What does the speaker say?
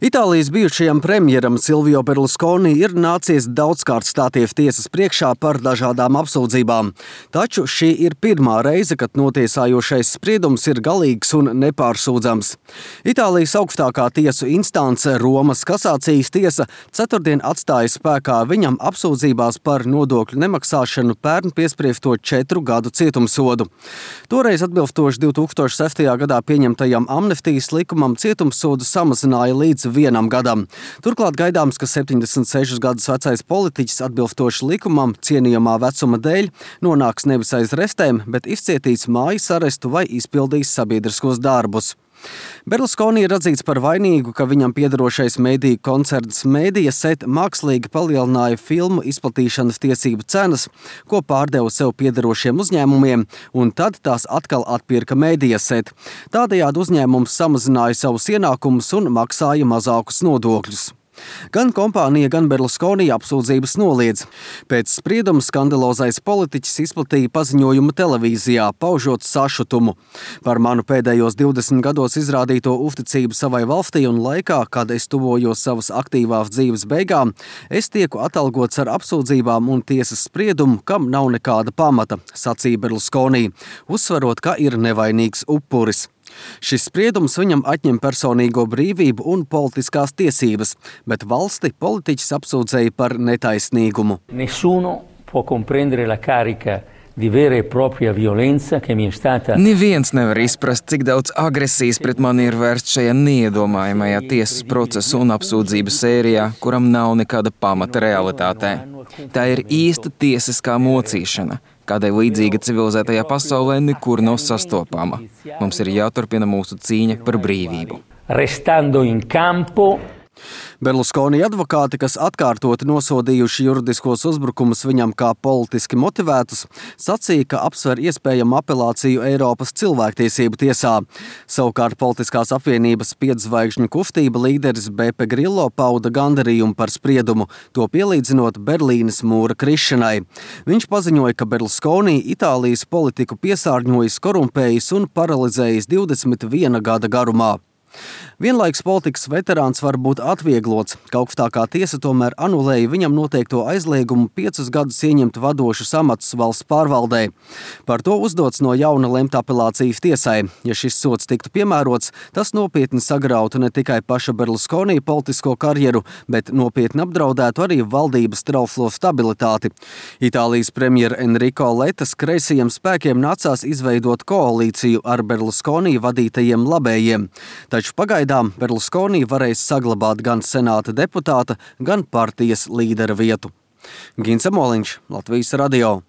Itālijas bijušajam premjeram Silvio Berlusconi ir nācies daudzkārt stāties tiesas priekšā par dažādām apsūdzībām. Taču šī ir pirmā reize, kad notiesājošais spriedums ir galīgs un nepārsūdzams. Itālijas augstākā tiesu instance Romas kasācijas tiesa ceturtdien atstāja spēkā viņam apsūdzībās par nodokļu nemaksāšanu pērn piespriesto 4 gadu cietumsodu. Toreiz atbilstoši 2006. gadā pieņemtajam amnestijas likumam cietumsodu samazināja līdz 1 gadam. Turklāt gaidāms, ka 76 gadus vecais politiķis atbilstoši likumam cienījamā vecuma dēļ nonāks nevis aiz restēm, bet izcietīs mājas arestu vai izpildīs sabiedriskos darbus. Berlusconi ir atzīts par vainīgu, ka viņam piederošais mediju koncerns Mediaset mākslīgi palielināja filmu izplatīšanas tiesību cenas, ko pārdeva sev piederošiem uzņēmumiem, un tad tās atkal atpirka Mediaset. Tādējādi uzņēmums samazināja savus ienākumus un maksāja mazākus nodokļus. Gan kompānija, gan Berlusconi apsūdzības noliedz. Pēc sprieduma skandalozais politiķis izplatīja paziņojumu televīzijā, paužot sašutumu. Par manu pēdējos 20 gados izrādīto uzticību savai valstī un laikā, kad es tuvojos savas aktīvās dzīves beigām, es tieku atalgots ar apsūdzībām un tiesas spriedumu, kam nav nekāda pamata, sacīja Berlusconi, uzsverot, ka ir nevainīgs upuris. Šis spriedums viņam atņem personīgo brīvību un politiskās tiesības, bet valsti politiķis apsūdzēja par netaisnīgumu. Nessuno può comprendere la carica di vera e propria violenza che mi è stata. Neviens nevar izprast, cik daudz agresijas pret mani ir vērsts šajā neiedomājamajā tiesas procesa un apsūdzību sērijā, kuram nav nekāda pamata realitātē. Tā ir īsta tiesiskā mocīšana, kādai līdzīga civilizētajā pasaulē nekur nav sastopama. Mums ir jāturpina mūsu cīņa par brīvību. Restando in campo. Berlusconi advokāti, kas atkārtoti nosodījuši juridiskos uzbrukumus viņam kā politiski motivētus, sacīja, ka apsver iespējamu apelāciju Eiropas cilvēktiesību tiesā. Savukārt politiskās apvienības 5 zvaigžņu kustība līderis Beppe Grillo pauda gandarījumu par spriedumu, to pielīdzinot Berlīnes mūra krišanai. Viņš paziņoja, ka Berlusconi Itālijas politiku piesārņojis, korumpējis un paralizējis 21 gada garumā. Vienlaikus politikas veterāns var būt atvieglots, ka augstākā tiesa tomēr anulēja viņam noteikto aizliegumu 5 gadus ieņemt vadošus amatus valsts pārvaldē. Par to uzdots no jauna lemt apelācijas tiesai. Ja šis sods tiktu piemērots, tas nopietni sagrautu ne tikai paša Berlusconi politisko karjeru, bet nopietni apdraudētu arī valdības trauslo stabilitāti. Itālijas premjera Enrico Lettas kreisajiem spēkiem nācās izveidot koalīciju ar Berlusconi vadītajiem labējiem. Taču pagaidām Berlusconi varēs saglabāt gan senāta deputāta, gan partijas līdera vietu. Gins Amoliņš, Latvijas radio.